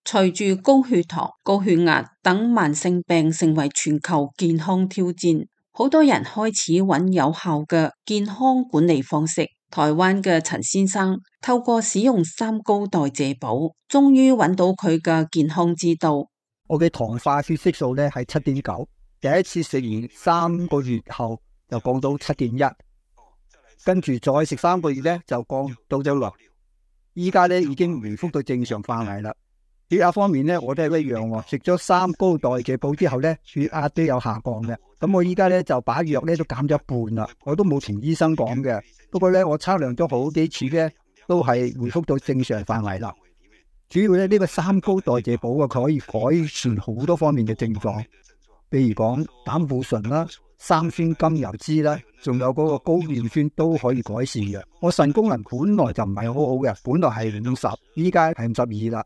隨住高血糖、高血壓等慢性病成為全球健康挑戰，好多人開始揾有效嘅健康管理方式。台灣嘅陳先生透過使用三高代謝寶，終於揾到佢嘅健康之道。我嘅糖化血色素咧係7.9，第一次食完3個月後就降到7.1，跟住再食3個月咧就降到咗6，依家咧已經回復到正常範圍啦。血壓方面咧，我都係一樣喎。食咗三高代謝寶之後咧，血壓都有下降嘅。咁我依家咧就把藥咧都減咗一半啦。我都冇同醫生講嘅。不過咧，我測量咗好幾次咧，都係回復到正常範圍啦。主要咧呢個三高代謝寶啊，佢可以改善好多方面嘅症狀，譬如講膽固醇啦、三酸甘油酯啦，仲有嗰個高尿酸都可以改善嘅。我腎功能本來就唔係好好嘅，本來係50，依家係52啦。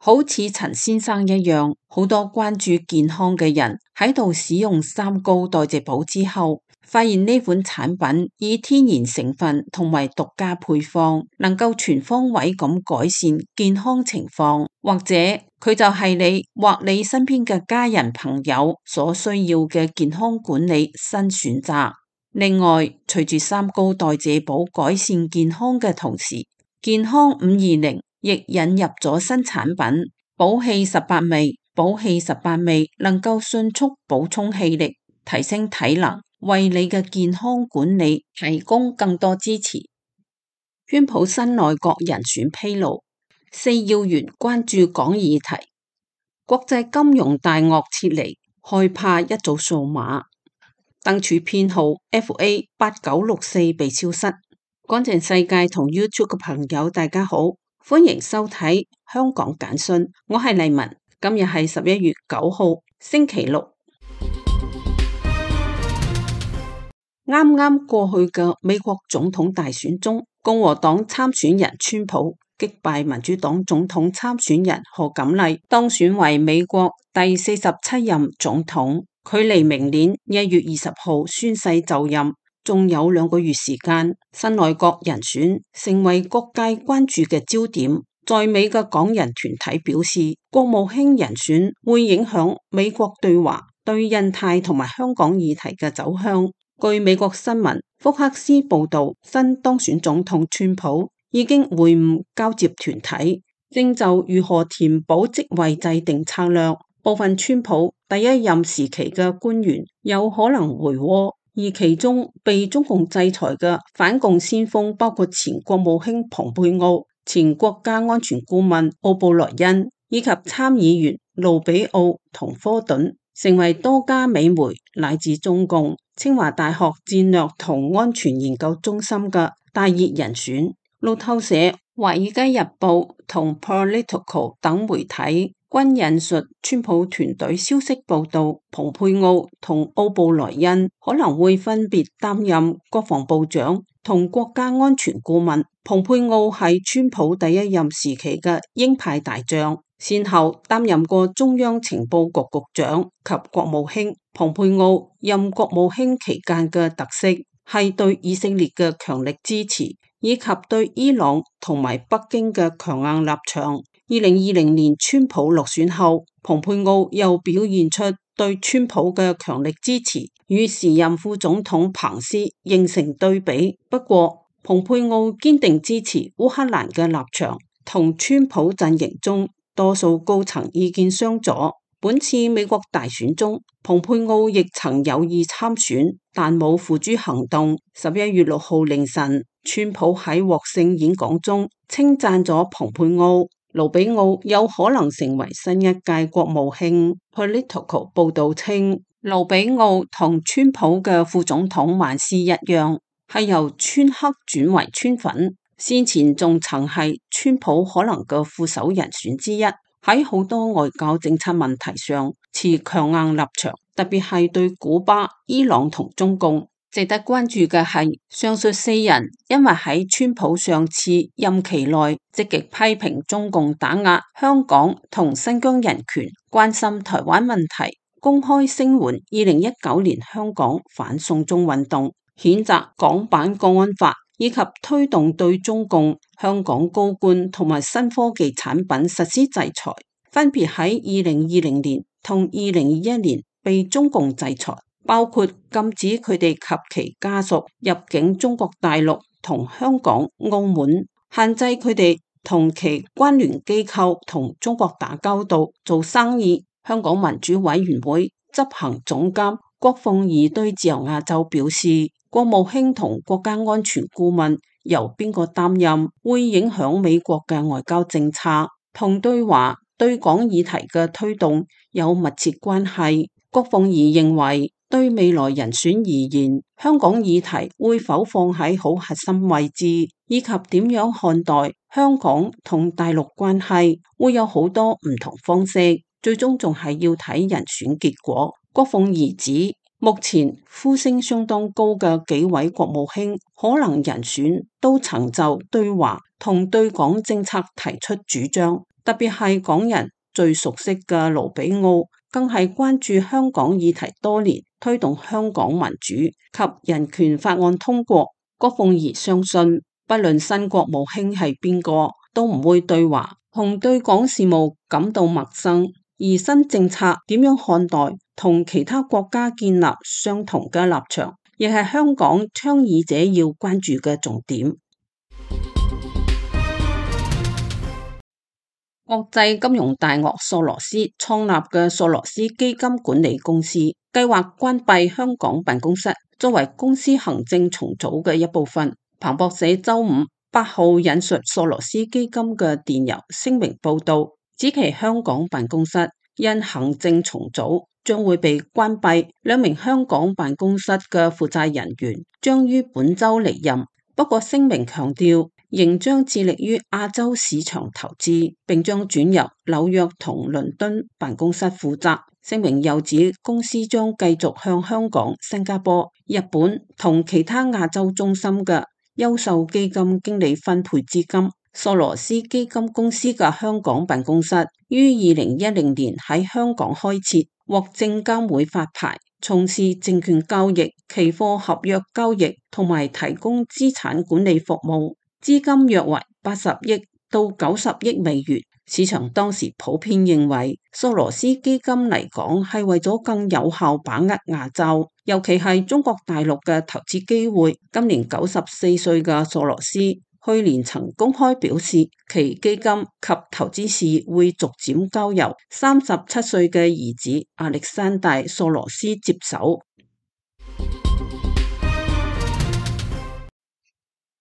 好似陳先生一樣，好多關注健康嘅人喺度使用三高代謝寶之後，發現呢款產品以天然成分同埋獨家配方，能夠全方位咁改善健康情況，或者佢就係你或你身邊嘅家人朋友所需要嘅健康管理新選擇。另外，隨住三高代謝寶改善健康嘅同時，健康520亦引入咗新產品寶氣18味。寶氣18味能夠迅速補充氣力，提升體能，為你嘅健康管理提供更多支持。川普新內閣人選披露，4要員關注港議題，國際金融大鱷撤離，害怕一組數碼，燈柱編號 FA8964 被消失。乾淨世界同 YouTube 嘅朋友大家好，歡迎收睇香港簡訊，我係麗文。今日係11月9號星期六。啱啱過去嘅美國總統大選中，共和黨參選人川普擊敗民主黨總統參選人賀錦麗，當選為美國第47任總統，距離明年1月20號宣誓就任仲有2個月時間。新內閣人選成為各界關注嘅焦點。在美嘅港人團體表示，國務卿人選會影響美國對華、對印太同埋香港議題嘅走向。據美國新聞福克斯報道，新當選總統川普已經會晤交接團體，正就如何填補職位制定策略。部分川普第一任時期嘅官員有可能回窩，而其中被中共制裁嘅反共先鋒包括前國務卿蓬佩奧、前國家安全顧問奧布萊恩以及參議員盧比奧同科頓，成為多家美媒乃至中共清華大學戰略同安全研究中心嘅大熱人選。路透社、華爾街日報同 Politico 等媒體均引述川普團隊消息報道，蓬佩奧同奧布萊恩可能會分別擔任國防部長同國家安全顧問。蓬佩奧係川普第一任時期嘅鷹派大將，先後擔任過中央情報局局長及國務卿。蓬佩奧任國務卿期間嘅特色係對以色列嘅強力支持，以及對伊朗同埋北京嘅強硬立場。2020年川普落選後，蓬佩奧又表現出對川普嘅強力支持，與時任副總統彭斯形成對比。不過，蓬佩奧堅定支持烏克蘭嘅立場，同川普陣營中多數高層意見相左。本次美國大選中，蓬佩奧亦曾有意參選，但冇付諸行動。11月6號凌晨，川普喺獲勝演講中稱讚咗蓬佩奧。盧比奧有可能成為新一屆國務卿。Politico 報道稱，盧比奧同川普嘅副總統萬斯一樣，係由川黑轉為川粉，先前仲曾係川普可能嘅副手人選之一，喺好多外交政策問題上持強硬立場，特別係對古巴、伊朗同中共。值得關注嘅係，上述4人因為喺川普上次任期內積極批評中共打壓香港同新疆人權，關心台灣問題，公開聲援2019年香港反送中運動，譴責港版國安法，以及推動對中共香港高官同埋新科技產品實施制裁，分別喺2020年同2021年被中共制裁，包括禁止佢哋及其家屬入境中國大陸同香港、澳門，限制佢哋同其關聯機構同中國打交道、做生意。香港民主委員會執行總監郭鳳儀對自由亞洲表示，國務卿同國家安全顧問由邊個擔任，會影響美國嘅外交政策，同對華對港議題嘅推動有密切關係。郭鳳儀認為，對未來人選而言，香港議題會否放喺好核心位置，以及點樣看待香港同大陸關係，會有好多唔同方式，最終仲係要睇人選結果。郭鳳儀指，目前呼聲相當高嘅幾位國務卿，可能人選都曾就對華同對港政策提出主張，特別係港人最熟悉嘅盧比奧，更係關注香港議題多年，推動香港民主及人權法案通過。郭鳳儀相信，不論新國務卿係邊個，都唔會對華同對港事務感到陌生。而新政策點樣看待，同其他國家建立相同嘅立場，亦係香港倡議者要關注嘅重點。國際金融大鱷索羅斯創立嘅索羅斯基金管理公司計劃關閉香港辦公室，作為公司行政重組嘅一部分。彭博社周五8號引述索羅斯基金嘅電郵聲明報道，指其香港辦公室因行政重組將會被關閉，2名香港辦公室嘅負責人員將於本周離任。不過聲明強調，仍將致力於亞洲市場投資，並將轉入紐約同倫敦辦公室負責。聲明又指，公司將繼續向香港、新加坡、日本同其他亞洲中心嘅優秀基金經理分配資金。索羅斯基金公司嘅香港辦公室於2010年喺香港開設，獲證監會發牌，從事證券交易、期貨合約交易同埋提供資產管理服務，資金約為80億到90億美元。市場當時普遍認為，索羅斯基金嚟港係為咗更有效把握亞洲，尤其係中國大陸嘅投資機會。今年94歲嘅索羅斯去年曾公開表示，其基金及投資事業會逐漸交由37歲嘅兒子亞歷山大索羅斯接手。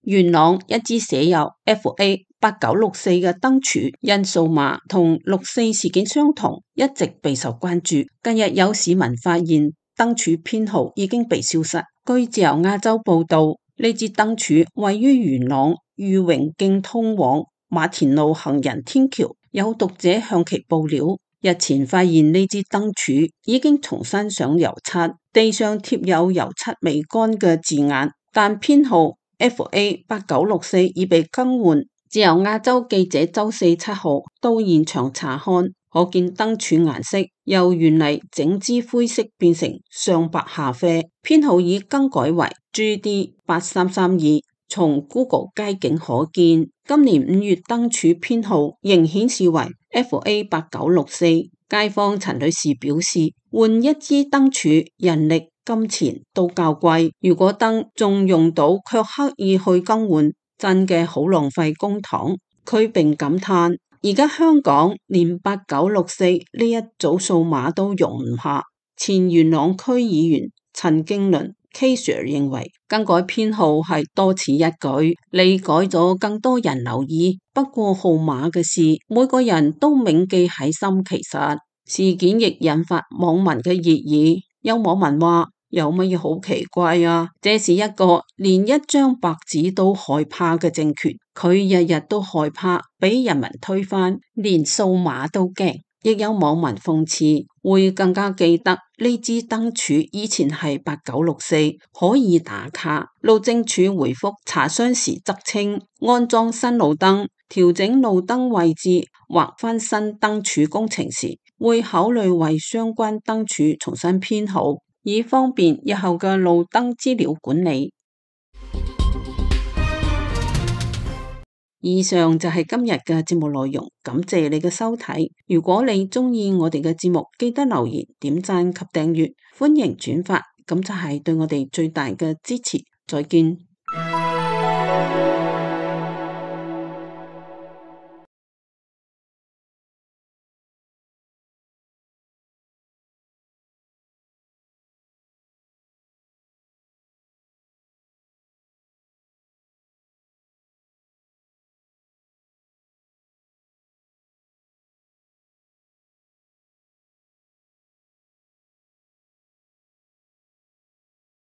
元朗一支寫有 FA8964 嘅燈柱因數碼同6.4事件相同，一直備受關注。近日有市民發現燈柱編號已經被消失。據自由亞洲報道，呢支燈柱位於元朗裕榮徑通往馬田路行人天橋。有讀者向其報料，日前發現呢支燈柱已經重新上油漆，地上貼有油漆未乾嘅字眼，但編號FA8964 已被更換。自由亞洲記者周4、7號到現場查看，可見燈柱顏色由原嚟整支灰色變成上白下啡，編號已更改為 GD8332。從 Google 街景可見，今年5月燈柱編號仍顯示為 FA8964。街坊陳女士表示，換一支燈柱人力金錢都較貴，如果燈仲用到卻刻意去更換，真嘅好浪費公帑。佢並感嘆，而家香港連8964呢一組數碼都容唔下。前元朗區議員陳經倫 K Sir 認為，更改編號係多此一舉，你改咗更多人留意。不過號碼嘅事，每個人都銘記喺心。其實事件亦引發網民嘅熱議，有網民話：有乜嘢好奇怪啊？這是一個連一張白紙都害怕嘅政權，佢日日都害怕俾人民推翻，連數碼都驚。亦有網民諷刺，會更加記得呢支燈柱以前係8964，可以打卡。路政署回覆查詢時則稱，安裝新路燈、調整路燈位置或翻新燈柱工程時，會考慮為相關燈柱重新編號，以方便日後嘅路燈資料管理。以上就係今日嘅節目內容，感謝你嘅收睇。如果你鍾意我哋嘅節目，記得留言、點讚及訂閱，歡迎轉發，咁就係對我哋最大嘅支持。再見。